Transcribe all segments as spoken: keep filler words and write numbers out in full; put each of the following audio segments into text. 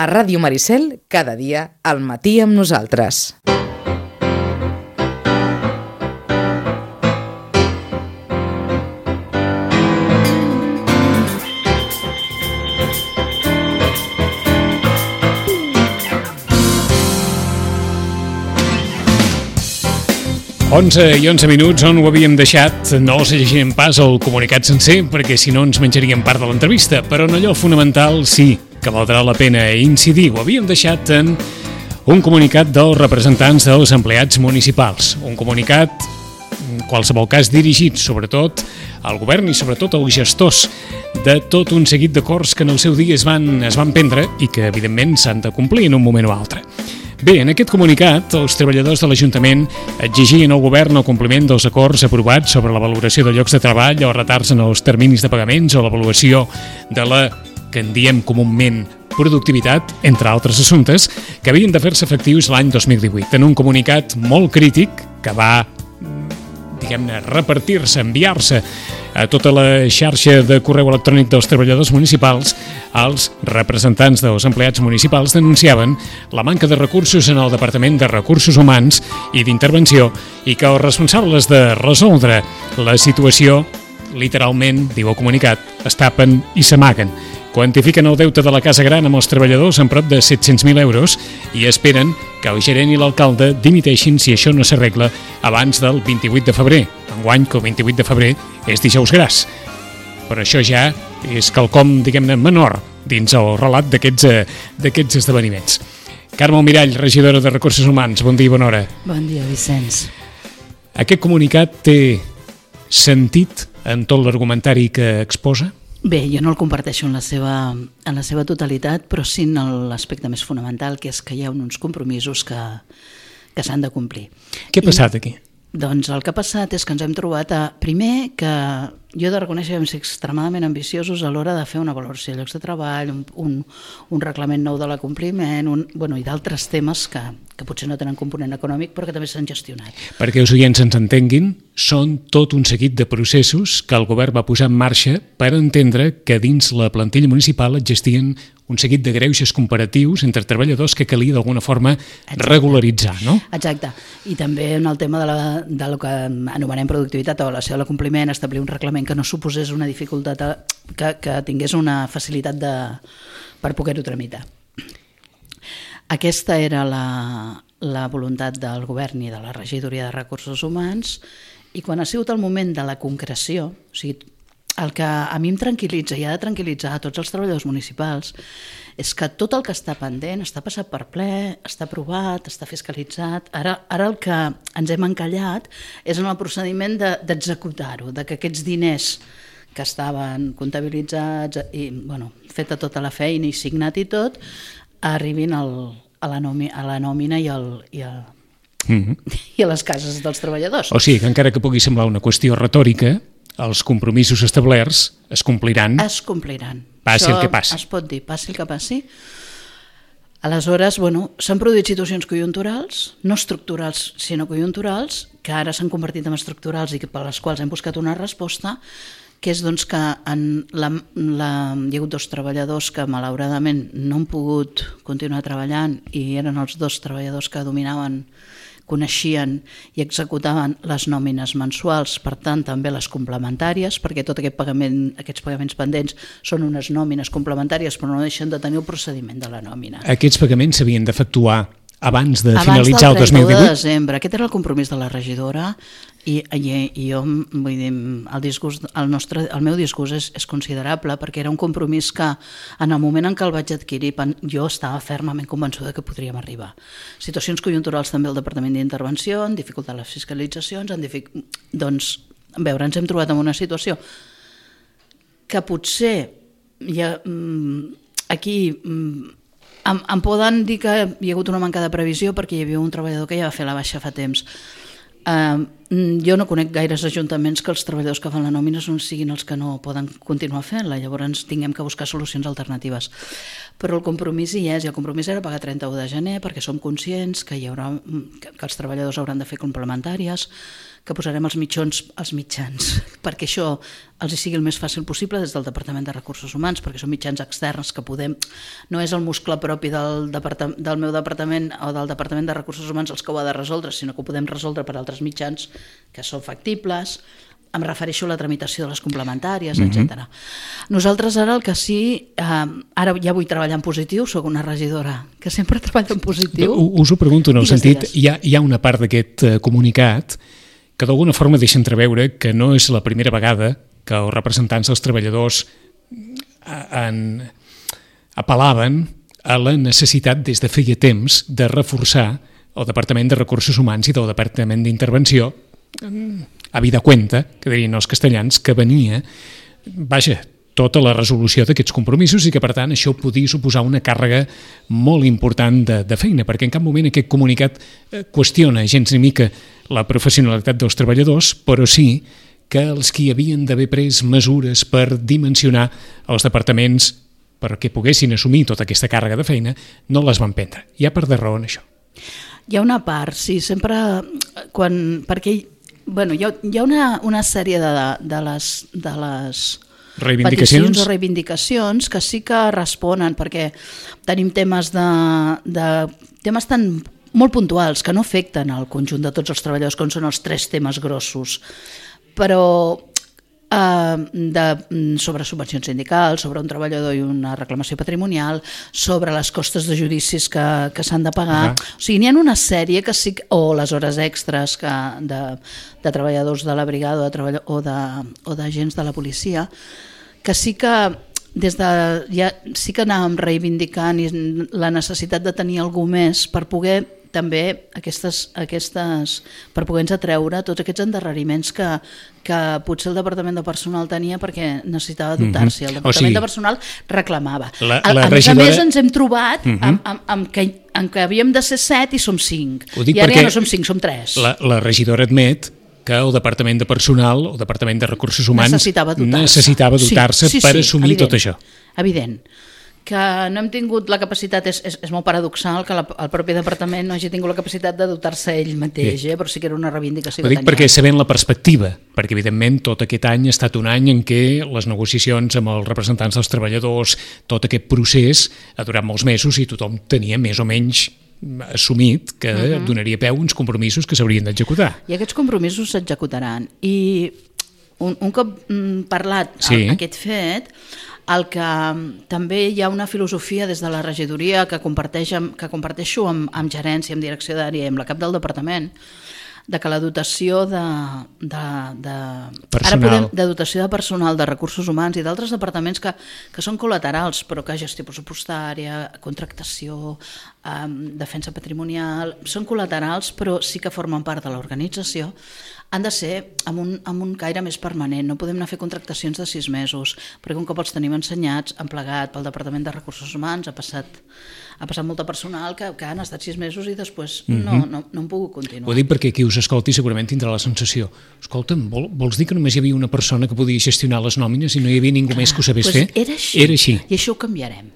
A Ràdio Maricel, cada dia, al matí amb nosaltres. onze i onze minuts, on ho havíem deixat. No us llegirem pas el comunicat sencer, perquè si no ens menjaríem part de l'entrevista, però en allò fonamental sí que valdrà la pena incidir. Ho havíem deixat en un comunicat dels representants dels empleats municipals. Un comunicat, en qualsevol cas, dirigit sobretot al govern i sobretot als gestors de tot un seguit d'acords que en el seu dia es van, es van prendre i que, evidentment, s'han de complir en un moment o altre. Bé, en aquest comunicat, els treballadors de l'Ajuntament exigien al govern el compliment dels acords aprovats sobre la valoració de llocs de treball o retards en els terminis de pagaments o l'avaluació de la que en diem comúment productivitat, entre altres assumptes, que havien de fer-se efectius l'any dos mil divuit. En un comunicat molt crític que va, diguem-ne, repartir-se, enviar-se a tota la xarxa de correu electrònic dels treballadors municipals, els representants dels empleats municipals denunciaven la manca de recursos en el Departament de Recursos Humans i d'Intervenció i que els responsables de resoldre la situació, literalment, diu el comunicat, es tapen i s'amaguen. Quantifiquen el deute de la Casa Gran amb els treballadors en prop de set-cents mil euros i esperen que el gerent i l'alcalde dimiteixin si això no s'arregla abans del vint-i-vuit de febrer. Enguany, que el vint-i-vuit de febrer és dijous gras. Però això ja és quelcom, diguem-ne, menor dins el relat d'aquests eh, d'aquests esdeveniments. Carme Almirall, regidora de Recursos Humans, bon dia i bona hora. Bon dia, Vicenç. Aquest comunicat té sentit en tot l'argumentari que exposa? Bé, jo no el comparteixo en la seva, en la seva totalitat, però sí en l'aspecte més fonamental, que és que hi ha uns compromisos que, que s'han de complir. Què ha passat aquí? Doncs el que ha passat és que ens hem trobat a, primer, que jo he de reconèixer que vam ser extremadament ambiciosos a l'hora de fer una valoració de llocs de treball, un, un, un reglament nou de l'acompliment, un, bueno, i d'altres temes que, que potser no tenen component econòmic però que també s'han gestionat. Perquè els oients ens entenguin, són tot un seguit de processos que el govern va posar en marxa per entendre que dins la plantilla municipal existien un seguit de greuges comparatius entre treballadors que calia d'alguna forma Exacte. regularitzar, no? Exacte. I també en el tema de, la, de lo que anomenem productivitat o avaluació de l'acompliment, establir un reglament que no suposés una dificultat, que, que tingués una facilitat de, per poder-ho tramitar. Aquesta era la, la voluntat del govern i de la regidoria de Recursos Humans, i quan ha sigut el moment de la concreció, o sigui, el que a mi em tranquil·litza i ha de tranquil·litzar a tots els treballadors municipals és que tot el que està pendent està passat per ple, està aprovat, està fiscalitzat. Ara, ara el que ens hem encallat és en el procediment de, d'executar-ho, de que aquests diners que estaven comptabilitzats i bueno, feta tota la feina i signat i tot, arribin al, a, la nòmina, a la nòmina i, al, i, a, mm-hmm. i a les cases dels treballadors. O sigui que encara que pugui semblar una qüestió retòrica, els compromisos establerts es compliran. Es compliran. Passi Això el que passi. Es pot dir, passi el que passi. Aleshores, bueno, s'han produït situacions conjunturals, no estructurals, sinó conjunturals, que ara s'han convertit en estructurals i per les quals hem buscat una resposta, que és doncs, que en la, la, hi ha hagut dos treballadors que malauradament no han pogut continuar treballant i eren els dos treballadors que dominaven, coneixien i executaven les nòmines mensuals, per tant també les complementàries, perquè tot aquest pagament, aquests pagaments pendents són unes nòmines complementàries però no deixen de tenir el procediment de la nòmina. Aquests pagaments s'havien d'efectuar abans de abans finalitzar el dos mil divuit? Abans del trenta-u de desembre. Aquest era el compromís de la regidora i, i, i jo, vull dir, el, disgust, el, nostre, el meu disgust és, és considerable perquè era un compromís que en el moment en què el vaig adquirir jo estava fermament convençuda que podríem arribar. Situacions conjunturals també al Departament d'Intervenció, han dificultat les fiscalitzacions, han dific... doncs, a veure, ens hem trobat en una situació que potser hi ha, aquí Em, em poden dir que hi ha hagut una manca de previsió perquè hi havia un treballador que ja va fer la baixa fa temps. Uh, jo no conec gaires ajuntaments que els treballadors que fan la nòmina no siguin els que no poden continuar fent-la, llavors tinguem que buscar solucions alternatives. Però el compromís hi és, i el compromís era pagar trenta-u de gener perquè som conscients que, hi haurà, que els treballadors hauran de fer complementàries, que posarem els mitjans, els mitjans perquè això els hi sigui el més fàcil possible des del Departament de Recursos Humans, perquè són mitjans externs que podem... No és el muscle propi del, del meu departament o del Departament de Recursos Humans els que ho ha de resoldre, sinó que ho podem resoldre per altres mitjans que són factibles. Em refereixo a la tramitació de les complementàries, mm-hmm. etcètera. Nosaltres ara el que sí, eh, ara ja vull treballar en positiu, soc una regidora que sempre treballa en positiu. Us ho pregunto en el sentit, hi ha, hi ha una part d'aquest uh, comunicat que d'alguna forma deixa entreveure que no és la primera vegada que els representants dels treballadors en, apel·laven a la necessitat des de feia temps de reforçar el Departament de Recursos Humans i del Departament d'Intervenció a vida cuenta, que dirien els castellans, que venia, vaja, tota la resolució d'aquests compromisos i que, per tant, això podia suposar una càrrega molt important de, de feina, perquè en cap moment aquest comunicat qüestiona gens ni mica la professionalitat dels treballadors, però sí que els que havien d'haver pres mesures per dimensionar els departaments perquè poguessin assumir tota aquesta càrrega de feina, no les van prendre. Hi ha part de raó en això. Hi ha una part, sí, sempre... quan perquè bueno, hi ha, hi ha una, una sèrie de, de les, de les peticions o reivindicacions que sí que responen, perquè tenim temes de, de temes tan molt puntuals que no afecten al conjunt de tots els treballadors, com són els tres temes grossos, però eh, de, sobre subvencions sindicals, sobre un treballador i una reclamació patrimonial, sobre les costes de judicis que, que s'han de pagar. Uh -huh. O sigui, n'hi ha una sèrie que sí, o les hores extres que, de, de treballadors de la brigada o de, o de, o d'agents de la policia, que sí que des de, ja, sí que anàvem reivindicant la necessitat de tenir algú més per poder també aquestes, aquestes, per poder-nos atreure tots aquests endarreriments que, que potser el Departament de Personal tenia perquè necessitava dotar-s'hi. El Departament o sigui, de Personal reclamava. La, la a, a regidora... més a més ens hem trobat uh-huh. amb, amb, amb, que, amb que havíem de ser set i som cinc. I ara ja no som cinc, som tres. La, la regidora admet que el Departament de Personal, el Departament de Recursos Humans necessitava dotar-se, necessitava dotar-se sí, sí, per sí, assumir evident, tot això. Evident. Que no hem tingut la capacitat, és, és, és molt paradoxal que la, el propi departament no hagi tingut la capacitat de dotar-se ell mateix, eh? Però sí que era una reivindicació. Ho dic perquè sabent la perspectiva, perquè evidentment tot aquest any ha estat un any en què les negociacions amb els representants dels treballadors, tot aquest procés ha durat molts mesos i tothom tenia més o menys assumit que uh-huh. donaria peu uns compromisos que s'haurien d'executar. I aquests compromisos s'executaran. I un, un cop mm, parlat sí. el, aquest fet, el que també hi ha una filosofia des de la regidoria que, comparteix amb, que comparteixo amb, amb gerència, amb direcció d'àrea i amb la cap del departament, de que la dotació de, de, de, ara podem, de dotació de personal, de recursos humans i d'altres departaments que, que són col·laterals, però que gestió pressupostària, contractació, eh, defensa patrimonial, són col·laterals però sí que formen part de l'organització, han de ser amb un, amb un caire més permanent. No podem anar a fer contractacions de sis mesos, perquè un cop els tenim ensenyats, han plegat pel Departament de Recursos Humans, ha passat, ha passat molta personal que, que han estat sis mesos i després mm-hmm. no, no, no han pogut continuar. Ho dic perquè qui us escolti segurament tindrà la sensació, escolta'm, vol, vols dir que només hi havia una persona que podia gestionar les nòmines i no hi havia ningú Clar, més que ho sabés doncs fer? Era així, era així. I això ho canviarem.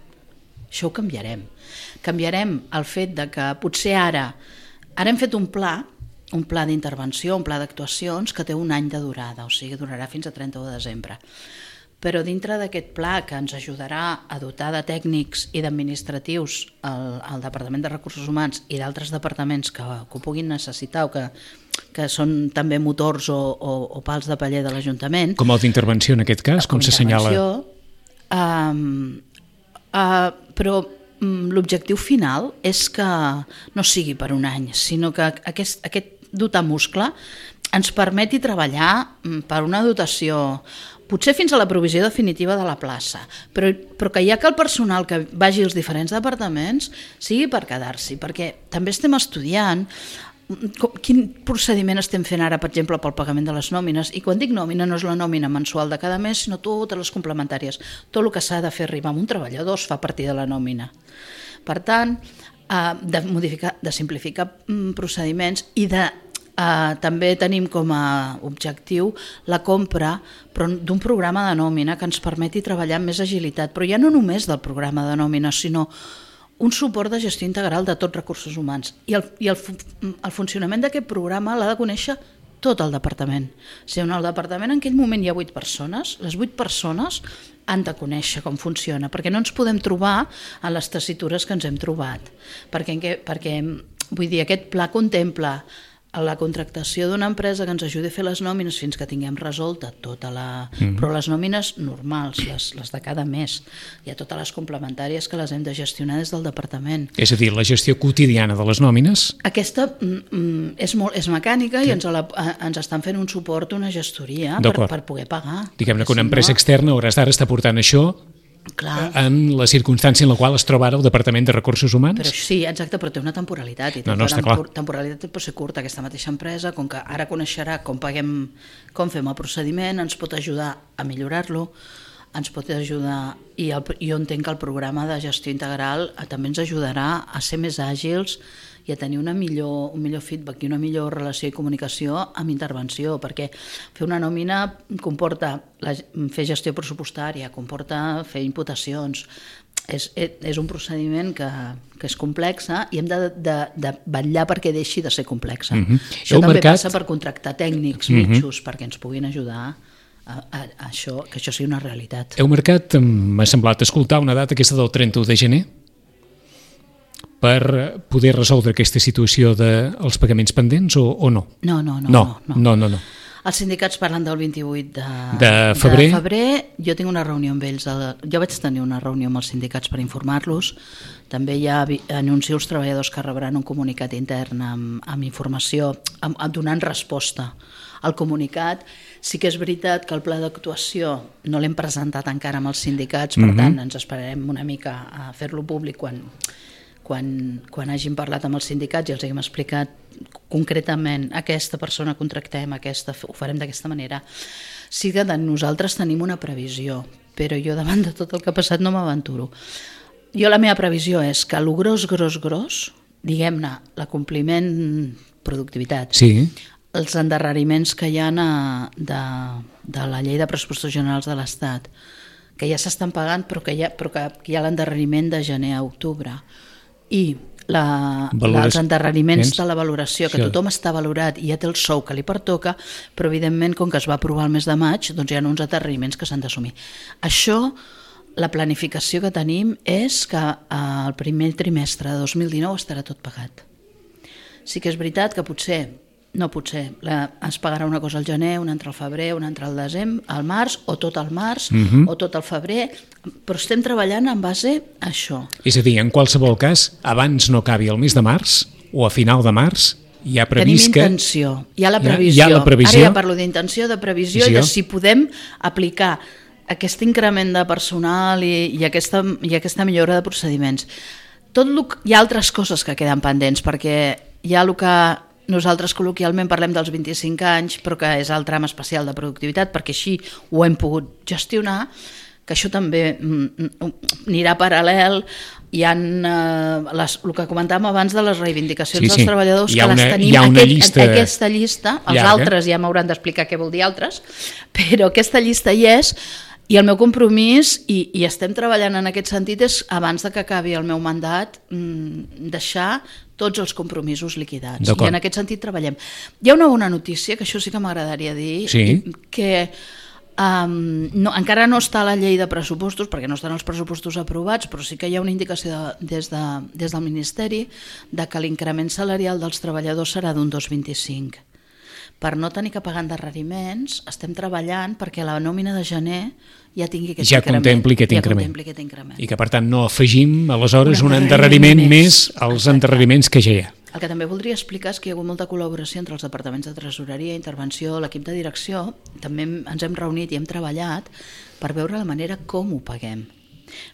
Això ho canviarem. Canviarem el fet de que potser ara, ara hem fet un pla, un pla d'intervenció, un pla d'actuacions que té un any de durada, o sigui, durarà fins a trenta-u de desembre. Però dintre d'aquest pla que ens ajudarà a dotar de tècnics i d'administratius al, al Departament de Recursos Humans i d'altres departaments que, que ho puguin necessitar o que, que són també motors o, o, o pals de paller de l'Ajuntament. Com el d'intervenció en aquest cas, com, com s'assenyala? Um, uh, però l'objectiu final és que no sigui per un any, sinó que aquest, aquest dotar muscle ens permeti treballar per una dotació, potser fins a la provisió definitiva de la plaça, però, però que ja que el personal que vagi als diferents departaments sigui per quedar-s'hi, perquè també estem estudiant quin procediment estem fent ara, per exemple, pel pagament de les nòmines, i quan dic nòmina no és la nòmina mensual de cada mes, sinó totes les complementàries. Tot el que s'ha de fer arribar a un treballador es fa a partir de la nòmina. Per tant, de modificar, de simplificar procediments i de Uh, també tenim com a objectiu la compra d'un programa de nòmina que ens permeti treballar amb més agilitat, però ja no només del programa de nòmina, sinó un suport de gestió integral de tots recursos humans. I el, i el, el funcionament d'aquest programa l'ha de conèixer tot el departament. O sigui, en el departament en aquell moment hi ha vuit persones, les vuit persones han de conèixer com funciona, perquè no ens podem trobar a les tessitures que ens hem trobat. Perquè, perquè vull dir, aquest pla contempla a la contractació d'una empresa que ens ajudi a fer les nòmines fins que tinguem resolta tota la... Mm. Però les nòmines normals, les, les de cada mes. Hi ha totes les complementàries que les hem de gestionar des del departament. És a dir, la gestió quotidiana de les nòmines? Aquesta mm, és, molt, és mecànica sí. i ens, la, ens estan fent un suport, una gestoria per, per poder pagar. Diguem-ne que una empresa si no... externa a hores d'ara està portant això... Clar. En la circumstància en la qual es troba ara el Departament de Recursos Humans? Però sí, exacte, però té una temporalitat. I no, no, està clar. Temporalitat pot ser curta. Aquesta mateixa empresa, com que ara coneixerà com paguem, com fem el procediment, ens pot ajudar a millorar-lo, ens pot ajudar, i el, jo entenc que el programa de gestió integral també ens ajudarà a ser més àgils i a tenir una millor, un millor feedback i una millor relació i comunicació amb intervenció, perquè fer una nòmina comporta la, fer gestió pressupostària, comporta fer imputacions, és, és un procediment que, que és complex i hem de, de, de vetllar perquè deixi de ser complex. Mm-hmm. Això també mercat... passa per contractar tècnics mm-hmm. mitjos perquè ens puguin ajudar a, a, a això, que això sigui una realitat. Heu marcat, m'ha semblat escoltar, una data aquesta del trenta-u de gener per poder resoldre aquesta situació dels pagaments pendents o, o no? No, no, no. No, no, no, no, no. Els sindicats parlen del vint-i-vuit de, de, febrer. de febrer. Jo tinc una reunió amb ells. El, jo vaig tenir una reunió amb els sindicats per informar-los. També ja anuncio als treballadors que rebran un comunicat intern amb, amb informació, amb, amb donant resposta al comunicat. Sí que és veritat que el pla d'actuació no l'hem presentat encara amb els sindicats, per mm-hmm. tant ens esperarem una mica a fer-lo públic quan... Quan, quan hàgim parlat amb els sindicats i els hem explicat concretament aquesta persona contractem, aquesta, ho farem d'aquesta manera. Sí que nosaltres tenim una previsió, però jo davant de tot el que ha passat no m'aventuro. Jo la meva previsió és que el gros, gros, gros, diguem-ne, l'acompliment productivitat, sí. els endarreriments que hi ha de, de la llei de pressupostos generals de l'Estat, que ja s'estan pagant però que hi ha, però que hi ha l'endarreriment de gener a octubre, i la, els endarreriments de la valoració, que tothom està valorat i ja té el sou que li pertoca, però evidentment com que es va aprovar el mes de maig, doncs hi ha uns endarreriments que s'han d'assumir. Això, la planificació que tenim és que el primer trimestre de dos mil dinou estarà tot pagat. Sí que és veritat que potser, no potser, la, es pagarà una cosa al gener, una altra al febrer, una altra al desembre, al març, o tot al març, uh-huh. o tot al febrer, però estem treballant en base a això. És a dir, en qualsevol cas, abans no acabi el mes de març, o a final de març, hi ha previst que... Tenim intenció, hi ha la previsió. Hi ha, hi ha la previsió. Ara ja parlo d'intenció, de previsió, i de si podem aplicar aquest increment de personal i, i, aquesta, i aquesta millora de procediments. Tot lo, hi ha altres coses que queden pendents, perquè hi ha el que nosaltres col·loquialment parlem dels vint-i-cinc anys, però que és el tram especial de productivitat, perquè així ho hem pogut gestionar, que això també anirà paral·lel. Hi ha eh, les, el que comentàvem abans de les reivindicacions sí, sí. dels treballadors, que una, les tenim aquest, llista aquesta llista, els llarga. Altres ja m'hauran d'explicar què vol dir altres, però aquesta llista hi és, i el meu compromís, i, i estem treballant en aquest sentit, és abans de que acabi el meu mandat deixar tots els compromisos liquidats. I en aquest sentit treballem. Hi ha una bona notícia, que això sí que m'agradaria dir, sí. que um, no, encara no està a la llei de pressupostos, perquè no estan els pressupostos aprovats, però sí que hi ha una indicació de, des, de, des del Ministeri de que l'increment salarial dels treballadors serà d'un dos coma vint-i-cinc. Per no tenir que pagar endarreriments, estem treballant perquè la nòmina de gener ja tingui aquest ja increment. Contempli aquest, ja increment. contempli aquest increment. I que, per tant, no afegim, aleshores, un endarreriment, un endarreriment més als Exacte. endarreriments que ja hi ha. El que també voldria explicar és que hi ha hagut molta col·laboració entre els departaments de tresoreria, intervenció, l'equip de direcció. També ens hem reunit i hem treballat per veure la manera com ho paguem.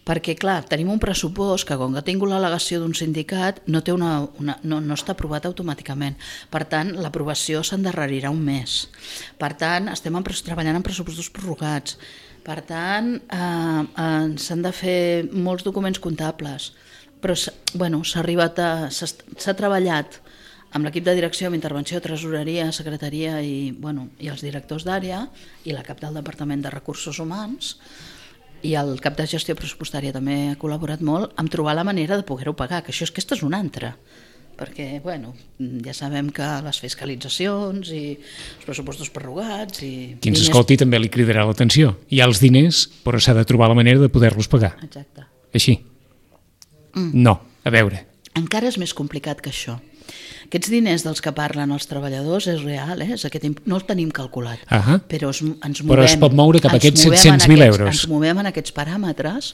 Perquè, clar, tenim un pressupost que, com que ha tingut l'al·legació d'un sindicat, no, té una, una, no, no està aprovat automàticament. Per tant, l'aprovació s'endarrerirà un mes. Per tant, estem en, treballant en pressupostos prorrogats. Per tant, eh, eh, s'han de fer molts documents comptables. Però, bueno, s'ha arribat a... s'ha treballat amb l'equip de direcció, amb intervenció, tresoreria, secretaria i, bueno, i els directors d'àrea i la cap del Departament de Recursos Humans, i el cap de gestió pressupostària també ha col·laborat molt amb trobar la manera de poder-ho pagar, que això és, aquesta és una altra. perquè bueno, ja sabem que les fiscalitzacions i els pressupostos prorrogats... I Qui ens diners... escolti també li cridarà l'atenció. Hi ha els diners, però s'ha de trobar la manera de poder-los pagar. Exacte. Així? Mm. No, a veure. Encara és més complicat que això. Aquests diners dels que parlen els treballadors és real, eh? És aquest, no el tenim calculat, uh-huh. però es, ens movem... Però es pot moure cap a aquests set-cents mil euros. Ens movem en aquests paràmetres.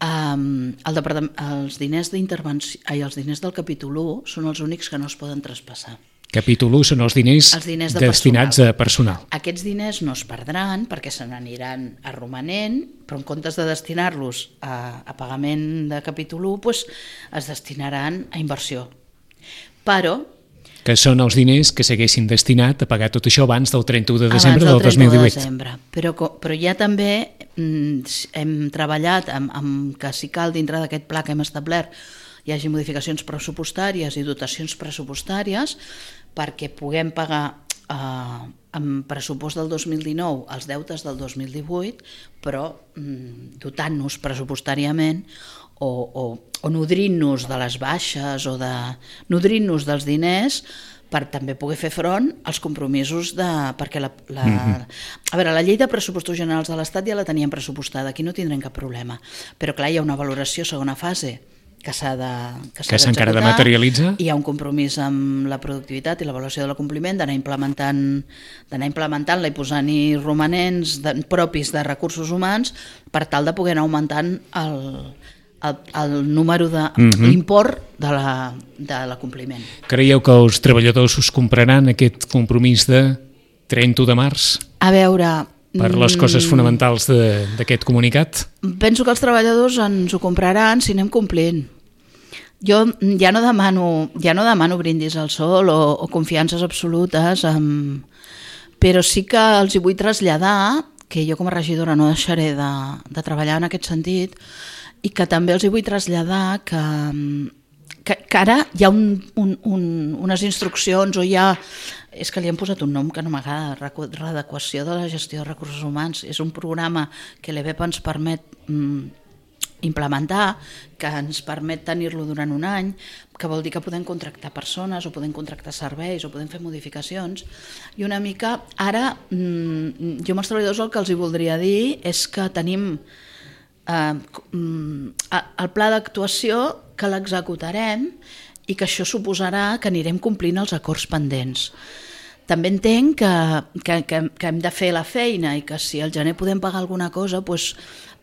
Um, el els diners d'intervenció, ai, els diners del capítol u són els únics que no es poden traspassar. Capítol u són els diners, els diners de destinats personal. a personal. Aquests diners no es perdran perquè se n'aniran a romanent, però en comptes de destinar-los a, a pagament de capítol u, doncs es destinaran a inversió. Però... Que són els diners que s'haguessin destinat a pagar tot això abans del trenta-u de desembre del dos mil divuit. De desembre. Però, però ja també mm, hem treballat amb, amb que si cal dintre d'aquest pla que hem establert hi hagi modificacions pressupostàries i dotacions pressupostàries perquè puguem pagar eh, amb pressupost del dos mil dinou els deutes del dos mil divuit, però mm, dotant-nos pressupostàriament o, o, o nodrint-nos de les baixes o de nodrint-nos dels diners per també poder fer front als compromisos de... perquè la, la, mm-hmm. a veure, la llei de pressupostos generals de l'Estat ja la teníem pressupostada, aquí no tindrem cap problema, però clar, hi ha una valoració segona fase que s'ha de que s'ha encara de materialitzar. Hi ha un compromís amb la productivitat i l'avaluació de l'acompliment d'anar implementant d'anar implementant-la i posant-hi romanents de, propis de recursos humans per tal de poder anar augmentant el, el, el número de mm-hmm. l'import de la, de l'acompliment. Creieu que els treballadors us compraran aquest compromís de trenta-u de març? A veure... Per les coses fonamentals d'aquest comunicat? Penso que els treballadors ens ho compraran si anem complint. Jo ja no demano, ja no demano brindis al sol o, o confiances absolutes, amb... però sí que els hi vull traslladar que jo com a regidora no deixaré de, de treballar en aquest sentit i que també els hi vull traslladar que, que, que ara hi ha un, un, un, unes instruccions o hi ha... és que li han posat un nom que no m'agrada, readequació de la gestió de recursos humans. És un programa que l'E B E P ens permet mm, implementar, que ens permet tenir-lo durant un any, que vol dir que podem contractar persones o podem contractar serveis o podem fer modificacions. I una mica, ara, mm, jo amb els treballadors el que els hi voldria dir és que tenim eh, el pla d'actuació que l'executarem i que això suposarà que anirem complint els acords pendents. També entenc que, que, que, que hem de fer la feina i que si al gener podem pagar alguna cosa doncs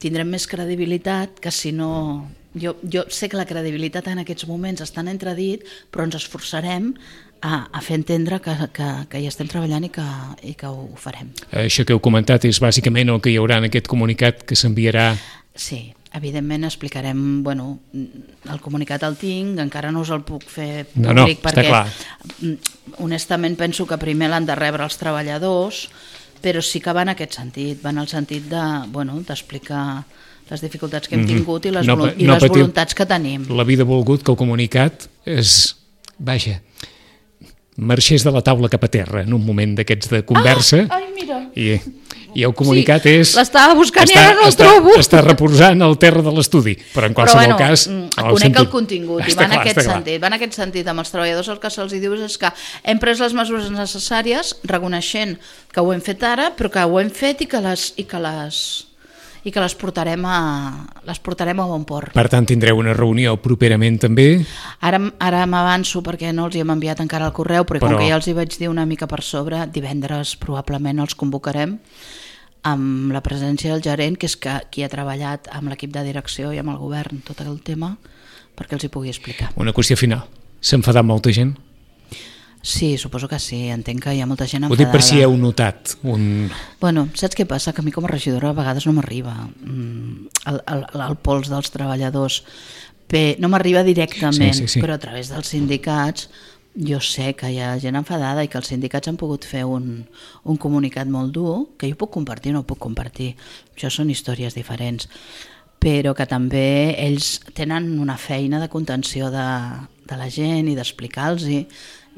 tindrem més credibilitat que si no... Jo, jo sé que la credibilitat en aquests moments està en entredit, però ens esforçarem a, a fer entendre que, que, que hi estem treballant i que, i que ho farem. Això que heu comentat és bàsicament el que hi haurà en aquest comunicat que s'enviarà... Sí, evidentment explicarem, bueno, el comunicat el tinc, encara no us el puc fer públic no, no, perquè està clar. Honestament penso que primer l'han de rebre els treballadors, però sí que va en aquest sentit, va en el sentit de, bueno, d'explicar les dificultats que hem tingut i les, no, i no les patiu. voluntats que tenim. La vida ha volgut que el comunicat és, vaja, marxés de la taula cap a terra en un moment d'aquests de conversa. Ah, ai, mira. I, i el comunicat sí, és... l'estava buscant està, i ara no el està, trobo. Està reposant al terra de l'estudi, però en qualsevol però, bueno, cas... conec sentit, el contingut i va en, clar, aquest sentit, va en aquest sentit. Amb els treballadors el que se'ls diu és que hem pres les mesures necessàries reconeixent que ho hem fet ara, però que ho hem fet i que les... I que les i que les portarem a, les portarem a bon port. Per tant, tindreu una reunió properament també? Ara, ara m'avanço perquè no els hi hem enviat encara el correu, però, però com que ja els hi vaig dir una mica per sobre, divendres probablement els convocarem amb la presència del gerent, que és que, qui ha treballat amb l'equip de direcció i amb el govern tot el tema, perquè els hi pugui explicar. Una qüestió final. S'ha enfadat molta gent? Sí, suposo que sí, entenc que hi ha molta gent enfadada. Ho dic per si heu notat un... Bueno, saps què passa? Que a mi com a regidora a vegades no m'arriba el, el, el pols dels treballadors. Bé, no m'arriba directament, sí, sí, sí. Però a través dels sindicats jo sé que hi ha gent enfadada i que els sindicats han pogut fer un, un comunicat molt dur, que jo puc compartir o no puc compartir. Això són històries diferents. Però que també ells tenen una feina de contenció de, de la gent i d'explicar-los-hi.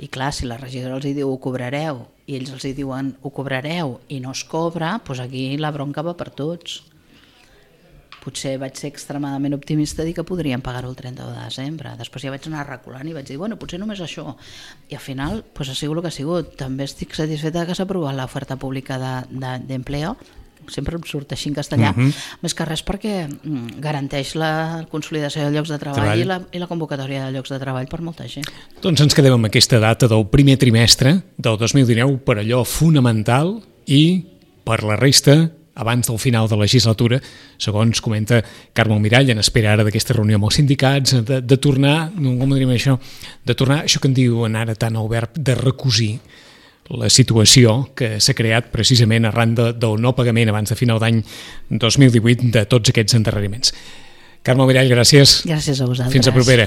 I clar, si la regidora els diu ho cobrareu i ells els diuen ho cobrareu i no es cobra, doncs aquí la bronca va per tots. potser vaig ser extremadament optimista i dir que podríem pagar-ho el trenta de desembre. Després ja vaig anar reculant i vaig dir, bueno, potser només això. I al final pues, ha sigut el que ha sigut. També estic satisfeta que s'ha aprovat l'oferta pública d'empleo, sempre em surt així en castellà, uh-huh. més que res perquè garanteix la consolidació de llocs de treball, treball. I, la, i la convocatòria de llocs de treball per molta gent. Doncs ens quedem amb aquesta data del primer trimestre del dos mil dinou per allò fonamental i per la resta abans del final de la legislatura, segons comenta Carme Almirall, en espera ara d'aquesta reunió amb els sindicats, de, de tornar, no, com diríem això, de tornar, això que en diuen ara tant el verb, de recosir la situació que s'ha creat precisament arran de, del no pagament abans de final d'any dos mil divuit de tots aquests endarreriments. Carme Almirall, gràcies. Gràcies a vosaltres. Fins a propera.